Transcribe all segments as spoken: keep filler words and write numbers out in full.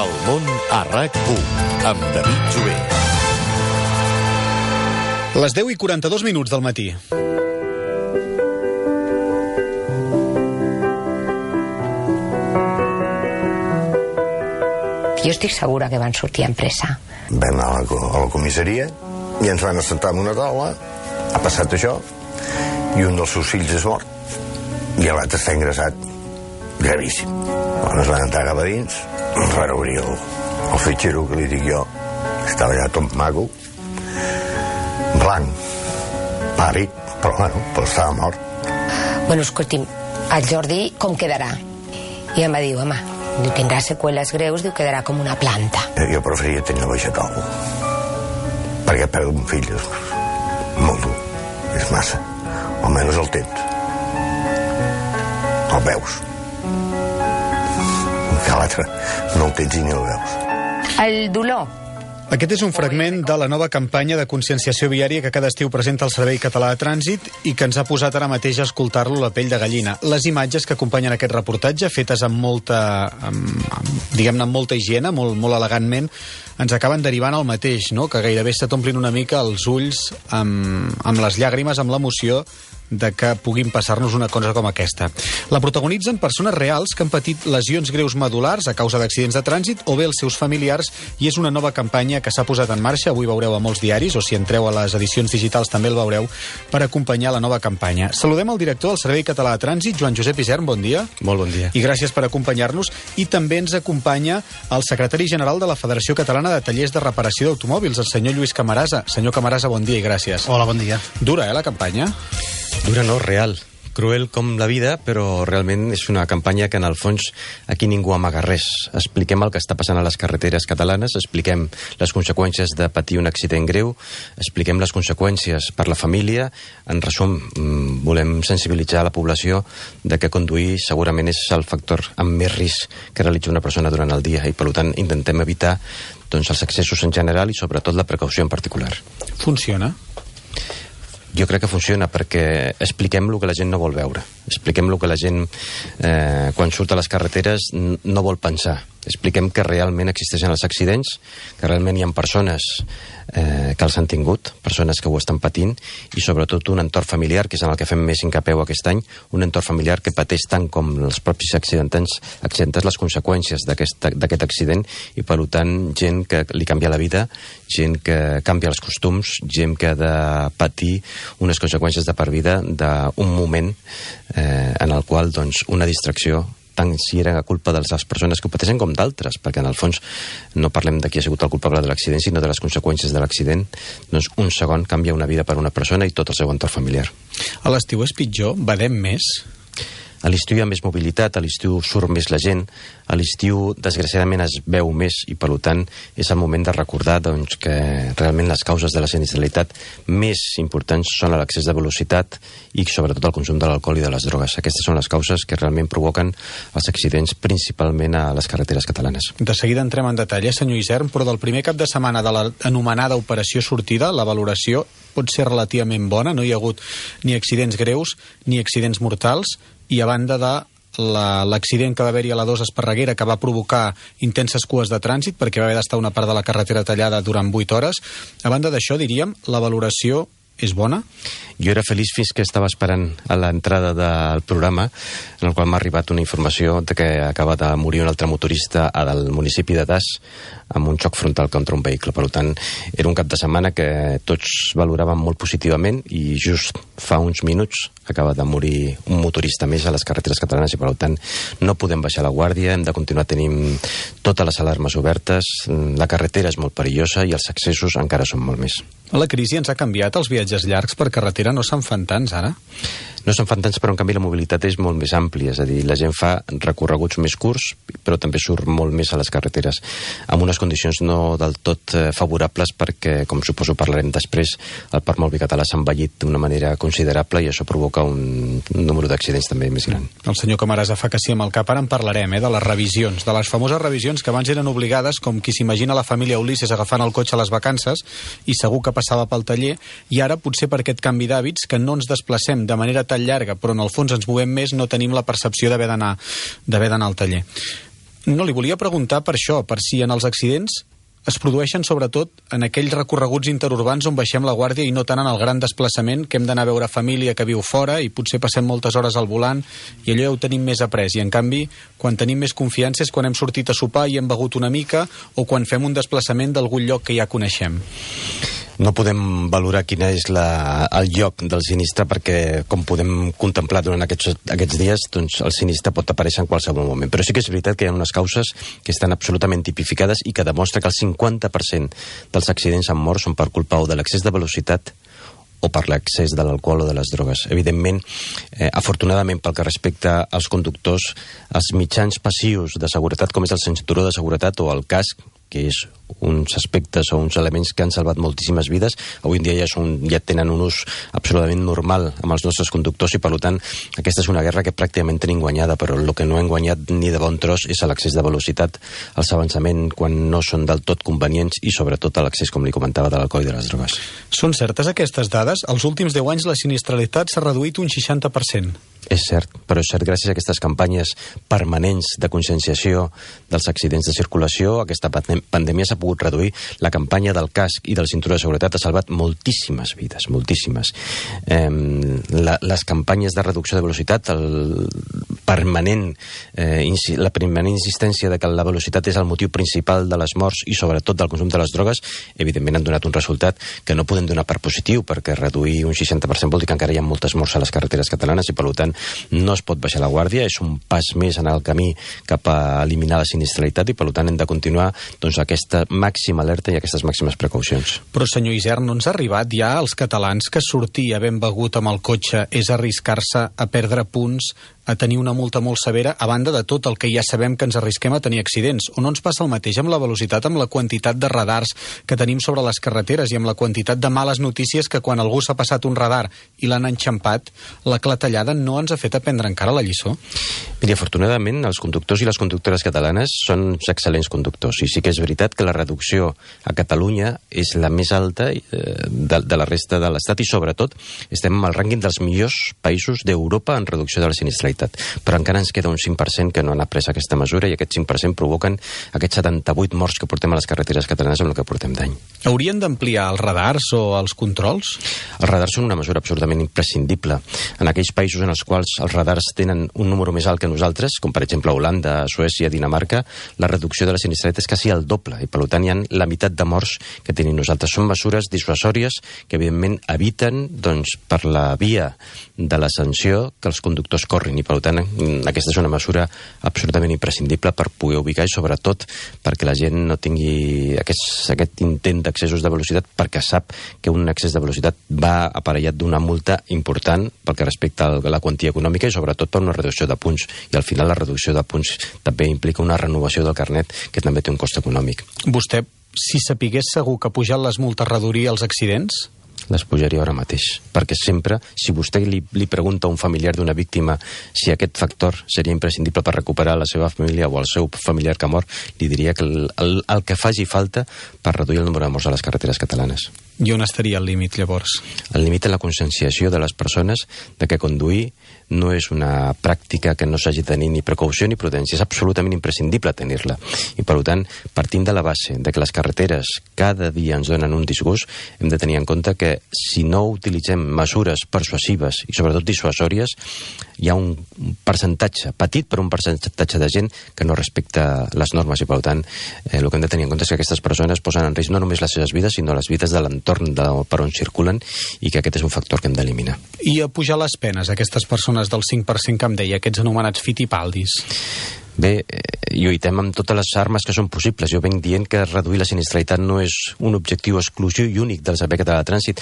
El món a RAC u, amb David Jover. Les deu i quaranta-dos minuts del matí. Jo estic segura que van sortir en pressa. Vam anar a la, a la comissaria i ens van assentar en una taula. Ha passat això i un dels seus fills és mort i l'altre està ingressat gravíssim. Quan es van entrar cap a dins, ens van obrir el, el fitxero que li dic jo, estava allà tot maco, blanc, pàl·lid, però bueno, però estava mort. Bueno, escolti'm, el Jordi com quedarà? I em va dir, home, diu, tindrà seqüeles greus, diu, quedarà com una planta. Jo preferia tenir el vegetal, perquè perdre un fill és molt dur, és massa. Almenys el tens. El veus. Que l'altre no el tens i ni el veus. El dolor. Aquest és un fragment de la nova campanya de conscienciació viària que cada estiu presenta el Servei Català de Trànsit i que ens ha posat ara mateix a escoltar-lo la pell de gallina. Les imatges que acompanyen aquest reportatge, fetes amb molta, amb, amb, diguem-ne, amb molta higiene, molt, molt elegantment, ens acaben derivant al mateix, no? Que gairebé se t'omplin una mica els ulls amb, amb les llàgrimes, amb l'emoció de que puguin passar-nos una cosa com aquesta. La protagonitzen persones reals que han patit lesions greus medulars a causa d'accidents de trànsit o bé els seus familiars, i és una nova campanya que s'ha posat en marxa, avui veureu a molts diaris, o si entreu a les edicions digitals també el veureu, per acompanyar la nova campanya. Saludem el director del Servei Català de Trànsit, Joan Josep Isern, bon dia. Molt bon dia. I gràcies per acompanyar-nos. I també ens acompanya el secretari general de la Federació Catalana de Tallers de Reparació d'Automòbils, el senyor Lluís Camarasa. Senyor Camarasa, bon dia i gràcies. Hola, bon dia. Dura, eh, la campanya? Dura no, real. Cruel com la vida, però realment és una campanya que en el fons aquí ningú amaga res. Expliquem el que està passant a les carreteres catalanes, expliquem les conseqüències de patir un accident greu, expliquem les conseqüències per la família. En resum, volem sensibilitzar la població de que conduir segurament és el factor amb més risc que realitza una persona durant el dia i per tant intentem evitar doncs, els excessos en general i sobretot la precaució en particular. Funciona? Jo crec que funciona perquè expliquem el que la gent no vol veure. Expliquem el que la gent, eh, quan surt a les carreteres, no vol pensar. Expliquem que realment existeixen els accidents, que realment hi ha persones eh, que els han tingut, persones que ho estan patint, i sobretot un entorn familiar, que és en el que fem més incapeu aquest any, un entorn familiar que pateix tant com els propis accidentants, accidentants les conseqüències d'aquest accident, i per tant gent que li canvia la vida, gent que canvia els costums, gent que ha de patir unes conseqüències de per vida d'un moment eh, en el qual doncs, una distracció, tant si era culpa de les persones que ho pateixen com d'altres, perquè en el fons no parlem de qui ha sigut el culpable de l'accident, sinó de les conseqüències de l'accident, doncs un segon canvia una vida per una persona i tot el seu entorn familiar. A l'estiu és pitjor? Badem més? A l'estiu hi ha més mobilitat, a l'estiu surt més la gent, a l'estiu desgraciadament es veu més i per tant és el moment de recordar doncs, que realment les causes de la sinistralitat més importants són l'excés de velocitat i sobretot el consum de l'alcohol i de les drogues. Aquestes són les causes que realment provoquen els accidents principalment a les carreteres catalanes. De seguida entrem en detall, eh, senyor Isern, però del primer cap de setmana de l'anomenada operació sortida, la valoració pot ser relativament bona, no hi ha hagut ni accidents greus ni accidents mortals, i a banda de l'accident que va haver-hi a la dos Esparreguera, que va provocar intenses cues de trànsit perquè va haver d'estar una part de la carretera tallada durant vuit hores, a banda d'això, diríem, la valoració és bona? Jo era feliç fins que estava esperant a l'entrada del programa, en el qual m'ha arribat una informació de que acaba de morir un altre motorista del municipi de Das amb un xoc frontal contra un vehicle. Per tant, era un cap de setmana que tots valoraven molt positivament i just fa uns minuts acaba de morir un motorista més a les carreteres catalanes i per tant no podem baixar la guàrdia, hem de continuar tenint totes les alarmes obertes, la carretera és molt perillosa i els accessos encara són molt més. La crisi ens ha canviat, els viatges llargs per carretera no se'n fan tants ara? No se'n fan tants, però en canvi la mobilitat és molt més àmplia, és a dir, la gent fa recorreguts més curts, però també surt molt més a les carreteres, amb unes condicions no del tot favorables perquè, com suposo parlarem després, el parc mòbil català s'ha envellit d'una manera considerable i això provoca un número d'accidents també més gran. El senyor Camarasa fa que sí amb el cap, ara en parlarem, eh, de les revisions, de les famoses revisions que abans eren obligades, com qui s'imagina la família Ulisses agafant el cotxe a les vacances i segur que passava pel taller, i ara potser per aquest canvi d'hàbits que no ens desplacem de manera tan llarga, però en el fons ens movem més, no tenim la percepció d'haver d'anar d'haver d'anar al taller. No, li volia preguntar per això, per si en els accidents es produeixen sobretot en aquells recorreguts interurbans on baixem la guàrdia i no tant en el gran desplaçament que hem d'anar a veure família que viu fora i potser passem moltes hores al volant i allò ja ho tenim més après. I en canvi, quan tenim més confiança és quan hem sortit a sopar i hem begut una mica o quan fem un desplaçament d'algun lloc que ja coneixem. No podem valorar quin és la, el lloc del sinistre perquè, com podem contemplar durant aquests, aquests dies, doncs el sinistre pot aparèixer en qualsevol moment. Però sí que és veritat que hi ha unes causes que estan absolutament tipificades i que demostra que el cinquanta per cent dels accidents amb mort són per culpa o de l'excés de velocitat o per l'excés de l'alcohol o de les drogues. Evidentment, eh, afortunadament pel que respecta als conductors, els mitjans passius de seguretat, com és el cinturó de seguretat o el casc, que és uns aspectes o uns elements que han salvat moltíssimes vides, avui en dia ja, són, ja tenen un ús absolutament normal amb els nostres conductors i, per tant, aquesta és una guerra que pràcticament tenim guanyada, però el que no hem guanyat ni de bon tros és l'excés de velocitat, els avançaments quan no són del tot convenients i, sobretot, l'excés, com li comentava, de l'alcohol i de les drogues. Són certes aquestes dades? Els últims deu anys la sinistralitat s'ha reduït un seixanta per cent. És cert, però és cert, gràcies a aquestes campanyes permanents de conscienciació dels accidents de circulació, aquesta pandèmia s'ha pogut reduir. La campanya del casc i del cinturó de seguretat ha salvat moltíssimes vides, moltíssimes. Eh, la, les campanyes de reducció de velocitat, el permanent, eh, la permanent insistència de que la velocitat és el motiu principal de les morts i sobretot del consum de les drogues, evidentment han donat un resultat que no podem donar per positiu, perquè reduir un seixanta per cent vol dir que encara hi ha moltes morts a les carreteres catalanes i, per tant, no es pot baixar la guàrdia, és un pas més en el camí cap a eliminar la sinistralitat i, per tant, hem de continuar doncs, aquesta màxima alerta i aquestes màximes precaucions. Però, senyor Isern, no ens ha arribat ja als catalans que sortir havent begut amb el cotxe és arriscar-se a perdre punts, a tenir una multa molt severa, a banda de tot el que ja sabem que ens arrisquem a tenir accidents? O no ens passa el mateix amb la velocitat, amb la quantitat de radars que tenim sobre les carreteres i amb la quantitat de males notícies que quan algú s'ha passat un radar i l'han enxampat, la clatellada no ens ha fet aprendre encara la lliçó? Mira, afortunadament, els conductors i les conductores catalanes són excel·lents conductors i sí que és veritat que la reducció a Catalunya és la més alta eh, de, de la resta de l'Estat i, sobretot, estem en el rànquing dels millors països d'Europa en reducció de la sinistralitat. Però encara ens queda un cinc per cent que no han après aquesta mesura i aquest cinc per cent provoquen aquests setanta-vuit morts que portem a les carreteres catalanes amb el que portem d'any. Haurien d'ampliar els radars o els controls? Els radars són una mesura absolutament imprescindible. En aquells països en els quals els radars tenen un número més alt que nosaltres, com per exemple Holanda, Suècia, Dinamarca, la reducció de la sinistralitat és quasi el doble i, per tant, hi ha la meitat de morts que tenim nosaltres. Són mesures dissuasòries que, evidentment, eviten, doncs, per la via de la sanció que els conductors corrin i, per tant, aquesta és una mesura absolutament imprescindible per poder ubicar i, sobretot, perquè la gent no tingui aquest, aquest intent d'accessos de velocitat, perquè sap que un excés de velocitat va aparellat d'una multa important pel que respecta a la quantia econòmica i, sobretot, per una reducció de punts. I, al final, la reducció de punts també implica una renovació del carnet, que també té un cost econòmic. Vostè, si sapigués segur que pujant les multes reduiria els accidents? Les pujaria ara mateix, perquè sempre, si vostè li, li pregunta a un familiar d'una víctima si aquest factor seria imprescindible per recuperar la seva família o el seu familiar que ha mort, li diria que el, el, el que faci falta per reduir el número de morts a les carreteres catalanes. I on estaria el límit, llavors? El límit és la conscienciació de les persones de que conduir no és una pràctica que no s'hagi de tenir ni precaució ni prudència, és absolutament imprescindible tenir-la. I, per tant, partint de la base de que les carreteres cada dia ens donen un disgust, hem de tenir en compte que si no utilitzem mesures persuasives i, sobretot, dissuasòries, hi ha un percentatge, petit però un percentatge de gent que no respecta les normes i, per tant, eh, el que hem de tenir en compte és que aquestes persones posen en risc no només les seves vides, sinó les vides de l'entorn de, per on circulen i que aquest és un factor que hem d'eliminar. I a pujar les penes a aquestes persones del cinc per cent que em deia, aquests anomenats fitipaldis? Bé, lluitem amb totes les armes que són possibles. Jo venc dient que reduir la sinistralitat no és un objectiu exclusiu i únic del Servei Català de Trànsit.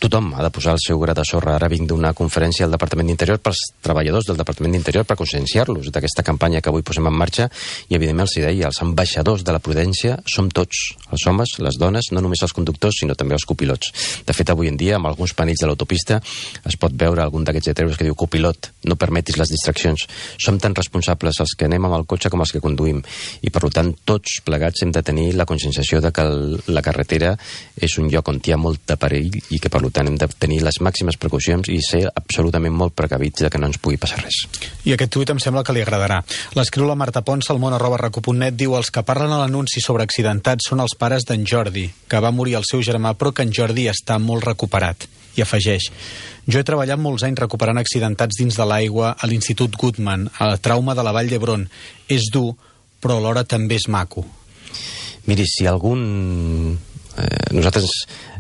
Tothom ha de posar el seu gra de sorra. Ara vinc d'una conferència al Departament d'Interior pels treballadors del Departament d'Interior per conscienciar-los d'aquesta campanya que avui posem en marxa i, evidentment, els deia, els ambaixadors de la prudència som tots, els homes, les dones, no només els conductors, sinó també els copilots. De fet, avui en dia, amb alguns panells de l'autopista es pot veure algun d'aquests heteros que diu copilot, no permetis les distraccions. Som tan responsables els que anem amb el cotxe com els que conduïm i, per tant, tots plegats hem de tenir la conscienciació de que la carretera és un lloc on hi ha molt de perill i que, per Per tant, hem de tenir les màximes precaucions i ser absolutament molt precavits de que no ens pugui passar res. I aquest tuit em sembla que li agradarà. L'escriu la Marta Pons, al món arroba recu punt net, diu: els que parlen a l'anunci sobre accidentats són els pares d'en Jordi, que va morir el seu germà, però que en Jordi està molt recuperat. I afegeix: jo he treballat molts anys recuperant accidentats dins de l'aigua a l'Institut Guttmann, a la trauma de la Vall d'Hebron. És dur, però alhora també és maco. Miri, si algun... Eh, nosaltres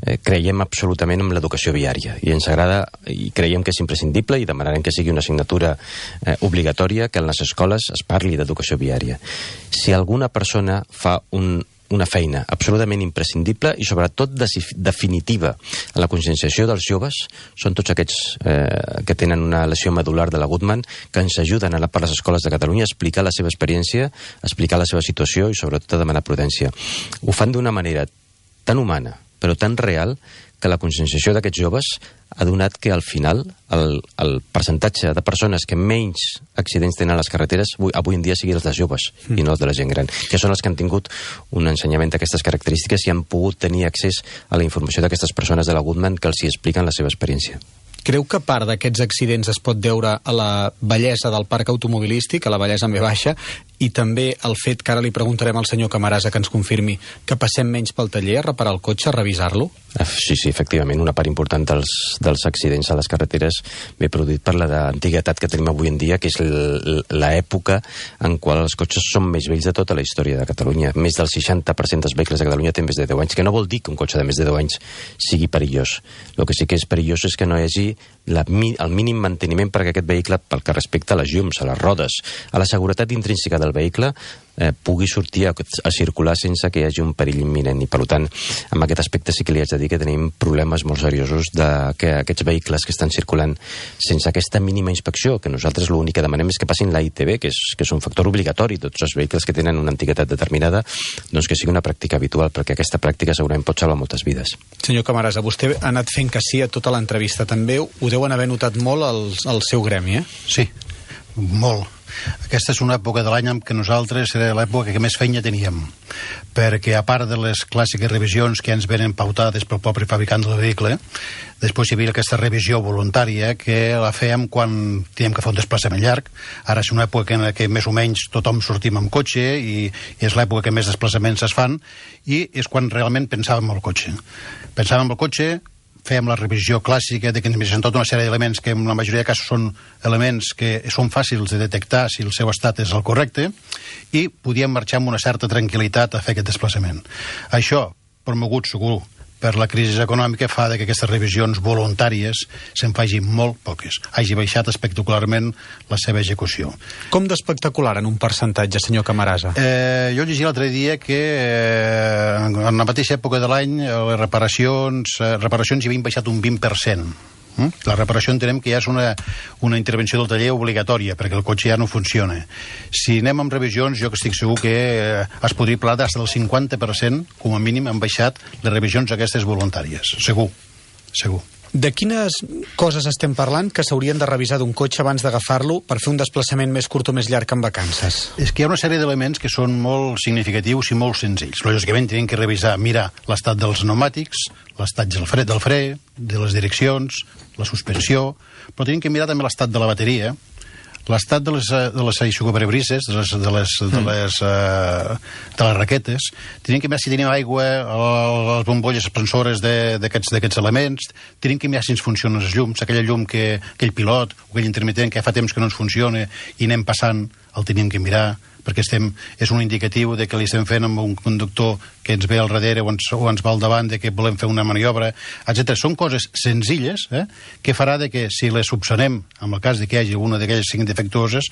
eh, creiem absolutament en l'educació viària i ens agrada i creiem que és imprescindible i demanarem que sigui una assignatura eh, obligatòria, que en les escoles es parli d'educació viària. Si alguna persona fa un, una feina absolutament imprescindible i sobretot definitiva en la conscienciació dels joves, són tots aquests eh, que tenen una lesió medular de la Guttmann, que ens ajuden a anar per les escoles de Catalunya a explicar la seva experiència, a explicar la seva situació i sobretot a demanar prudència. Ho fan d'una manera tan humana, però tan real, que la conscienciació d'aquests joves ha donat que al final el, el percentatge de persones que menys accidents tenen a les carreteres avui, avui en dia sigui els dels joves mm. i no els de la gent gran, que són els que han tingut un ensenyament d'aquestes característiques i han pogut tenir accés a la informació d'aquestes persones de la Guttmann que els hi expliquen la seva experiència. Creu que part d'aquests accidents es pot deure a la bellesa del parc automobilístic, a la bellesa en ve baixa, i també el fet que ara li preguntarem al senyor Camarasa que ens confirmi que passem menys pel taller a reparar el cotxe, a revisar-lo? Sí, sí, efectivament, una part important dels, dels accidents a les carreteres ve produït per l'antiguitat que tenim avui en dia, que és l'època en qual els cotxes són més vells de tota la història de Catalunya. Més del seixanta per cent dels vehicles de Catalunya tenen més de deu anys, que no vol dir que un cotxe de més de deu anys sigui perillós. El que sí que és perillós és que no hi hagi la, el mínim manteniment perquè aquest vehicle, pel que respecta a les llums, a les rodes, a la seguretat intrínseca del vehicle, eh, pugui sortir a, a circular sense que hi hagi un perill imminent. I per tant, en aquest aspecte sí que li haig de dir que tenim problemes molt seriosos de que aquests vehicles que estan circulant sense aquesta mínima inspecció, que nosaltres l'únic que demanem és que passin la I T B, que és, que és un factor obligatori, tots els vehicles que tenen una antiguitat determinada, doncs que sigui una pràctica habitual, perquè aquesta pràctica segurament pot salvar moltes vides. Senyor Camarasa, vostè ha anat fent que sí a tota l'entrevista. També ho deuen haver notat molt al, al seu gremi, eh? Sí, molt. Aquesta és una època de l'any en què nosaltres era l'època que més feina teníem, perquè a part de les clàssiques revisions que ens venen pautades pel propi fabricant del vehicle, després hi havia aquesta revisió voluntària que la fèiem quan teníem que fer un desplaçament llarg. Ara és una època en què més o menys tothom sortim amb cotxe i, i és l'època que més desplaçaments es fan i és quan realment pensàvem en el cotxe. Pensàvem en el cotxe, fèiem la revisió clàssica de que ens mirem tota una sèrie d'elements que en la majoria de casos són elements que són fàcils de detectar si el seu estat és el correcte i podíem marxar amb una certa tranquil·litat a fer aquest desplaçament. Això, promogut segur per la crisi econòmica, fa que aquestes revisions voluntàries se'n facin molt poques. Hagi baixat espectacularment la seva execució. Com d'espectacular en un percentatge, senyor Camarasa? Eh, jo llegia l'altre dia que eh, en la mateixa època de l'any les reparacions, eh, reparacions hi havien baixat un vint per cent. La reparació entenem que ja és una, una intervenció del taller obligatòria, perquè el cotxe ja no funciona. Si anem amb revisions, jo que estic segur que eh, es podria parlar d'hasta del cinquanta per cent, com a mínim, han baixat les revisions aquestes voluntàries. Segur, segur. De quines coses estem parlant que s'haurien de revisar d'un cotxe abans d'agafar-lo per fer un desplaçament més curt o més llarg en vacances? És que hi ha una sèrie d'elements que són molt significatius i molt senzills. Lògicament, tenim que revisar, mirar l'estat dels pneumàtics, l'estat del fre, del fre, de les direccions, la suspensió, però tenim que mirar també l'estat de la bateria, l'estat de les, de les aixugaparabrisses, de les, de les, de les, uh, de les raquetes. Tenim que mirar si tenim aigua, les bombolles expansores d'aquests elements. Tenim que mirar si ens funcionen els llums, aquella llum que aquell pilot o aquell intermitent que fa temps que no ens funciona i anem passant, el tenim que mirar, perquè estem, és un indicatiu de que li estem fent amb un conductor que ens ve al darrere o ens, o ens va al davant, de que volem fer una maniobra, etcètera. Són coses senzilles, eh, que farà de que si les subsanem, en el cas de que hi hagi alguna d'aquelles cinc defectuoses,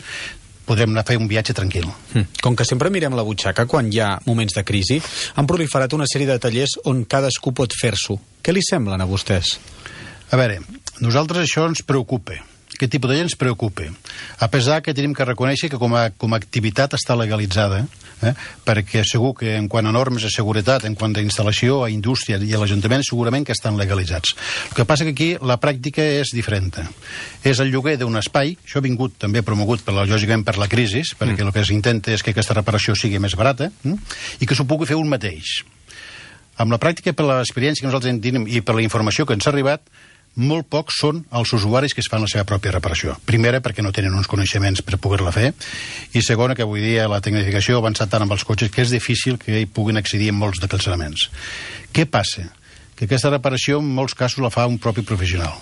podrem anar a fer un viatge tranquil. Com que sempre mirem la butxaca quan hi ha moments de crisi, han proliferat una sèrie de tallers on cadascú pot fer-s'ho. Què li semblen a vostès? A veure, nosaltres això ens preocupa. Aquest tipus de gent ens preocupa. A pesar que tenim que reconèixer que com a, com a activitat està legalitzada, eh? perquè segur que en quant a normes de seguretat, en quant a instal·lació, a indústria i a l'Ajuntament, segurament que estan legalitzats. El que passa que aquí la pràctica és diferent. És el lloguer d'un espai, això ha vingut també promogut, per la, lògicament, per la crisi, perquè mm. el que s'intenta és que aquesta reparació sigui més barata, eh? i que s'ho pugui fer un mateix. Amb la pràctica, per l'experiència que nosaltres en tenim i per la informació que ens ha arribat, molt pocs són els usuaris que es fan la seva pròpia reparació. Primera, perquè no tenen uns coneixements per poder-la fer, i segona, que avui dia la tecnificació ha avançat tant amb els cotxes que és difícil que hi puguin accedir en molts d'aquests elements. Què passa? Que aquesta reparació en molts casos la fa un propi professional.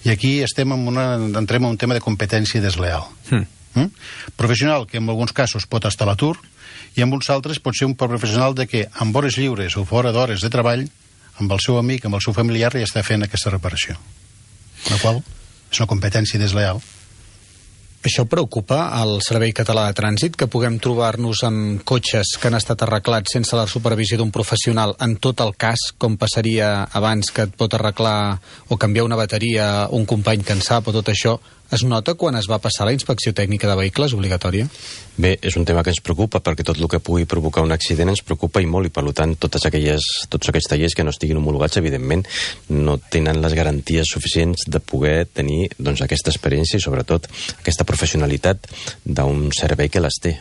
I aquí estem en una, entrem en un tema de competència desleal. Mm. Mm? Professional que en alguns casos pot estar a l'atur, i en uns altres pot ser un professional de que amb hores lliures o fora d'hores de treball, amb el seu amic, amb el seu familiar, ja està fent aquesta reparació. La qual és una competència desleal. Això preocupa al Servei Català de Trànsit, que puguem trobar-nos amb cotxes que han estat arreglats sense la supervisió d'un professional en tot el cas, com passaria abans, que et pot arreglar o canviar una bateria un company que en sap o tot això. Es nota quan es va passar la inspecció tècnica de vehicles obligatòria? Bé, és un tema que ens preocupa, perquè tot el que pugui provocar un accident ens preocupa i molt, i per tant totes aquelles, tots aquells tallers que no estiguin homologats, evidentment, no tenen les garanties suficients de poder tenir doncs, aquesta experiència i sobretot aquesta professionalitat d'un servei que les té.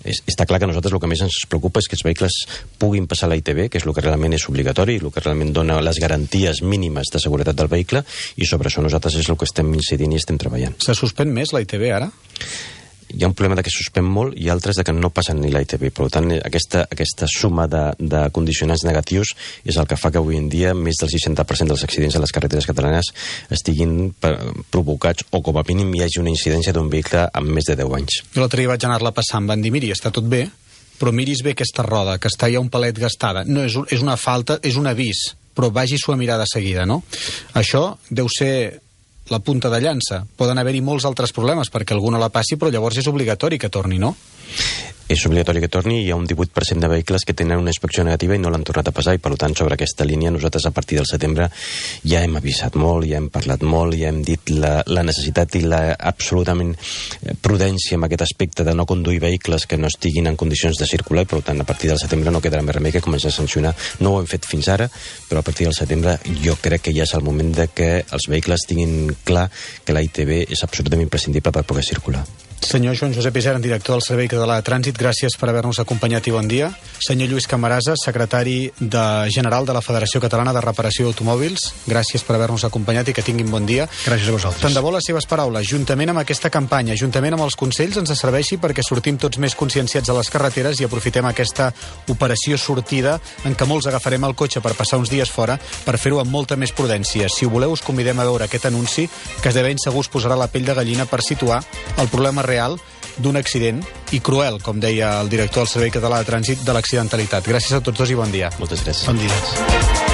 És, està clar que a nosaltres el que més ens preocupa és que els vehicles puguin passar la I T B, que és el que realment és obligatori, el que realment dona les garanties mínimes de seguretat del vehicle, i sobre això nosaltres és el que estem incidint i estem treballant. Se suspèn més la I T B ara? Hi ha un problema de que suspèn molt i altres de que no passen ni la I T B. Per tant, aquesta, aquesta suma de, de condicionants negatius és el que fa que avui en dia més del seixanta per cent dels accidents a les carreteres catalanes estiguin per, provocats o com a mínim hi hagi una incidència d'un vehicle amb més de deu anys. Jo l'altre dia vaig anar-la passant, em van dir, miri, està tot bé, però miris bé aquesta roda, que està ja un palet gastada. No, és, és una falta, és un avís, però vagi-s'ho a mirar de seguida, no? Això deu ser la punta de llança. Poden haver-hi molts altres problemes perquè algú no la passi, però llavors és obligatori que torni, no? És obligatori que torni, hi ha un divuit per cent de vehicles que tenen una inspecció negativa i no l'han tornat a passar, i per tant sobre aquesta línia nosaltres a partir del setembre ja hem avisat molt, ja hem parlat molt, ja hem dit la, la necessitat i la absolutament prudència en aquest aspecte de no conduir vehicles que no estiguin en condicions de circular, i per tant a partir del setembre no quedarà més remei que començar a sancionar. No ho hem fet fins ara, però a partir del setembre jo crec que ja és el moment de que els vehicles tinguin clar que la I T B és absolutament imprescindible per poder circular. Senyor Joan Josep Isern, director del Servei Català de Trànsit, gràcies per haver-nos acompanyat i bon dia. Senyor Lluís Camarasa, secretari de general de la Federació Catalana de Reparació d'Automòbils, gràcies per haver-nos acompanyat i que tinguin bon dia. Gràcies a vosaltres. Tant de bo les seves paraules, juntament amb aquesta campanya, juntament amb els consells, ens serveixi perquè sortim tots més conscienciats a les carreteres i aprofitem aquesta operació sortida en què molts agafarem el cotxe per passar uns dies fora per fer-ho amb molta més prudència. Si ho voleu, us convidem a veure aquest anunci que de ben segur us posarà la pell de gallina per situar el problema real d'un accident i cruel, com deia el director del Servei Català de Trànsit, de l'accidentalitat. Gràcies a tots dos i bon dia. Moltes gràcies. Bon dia.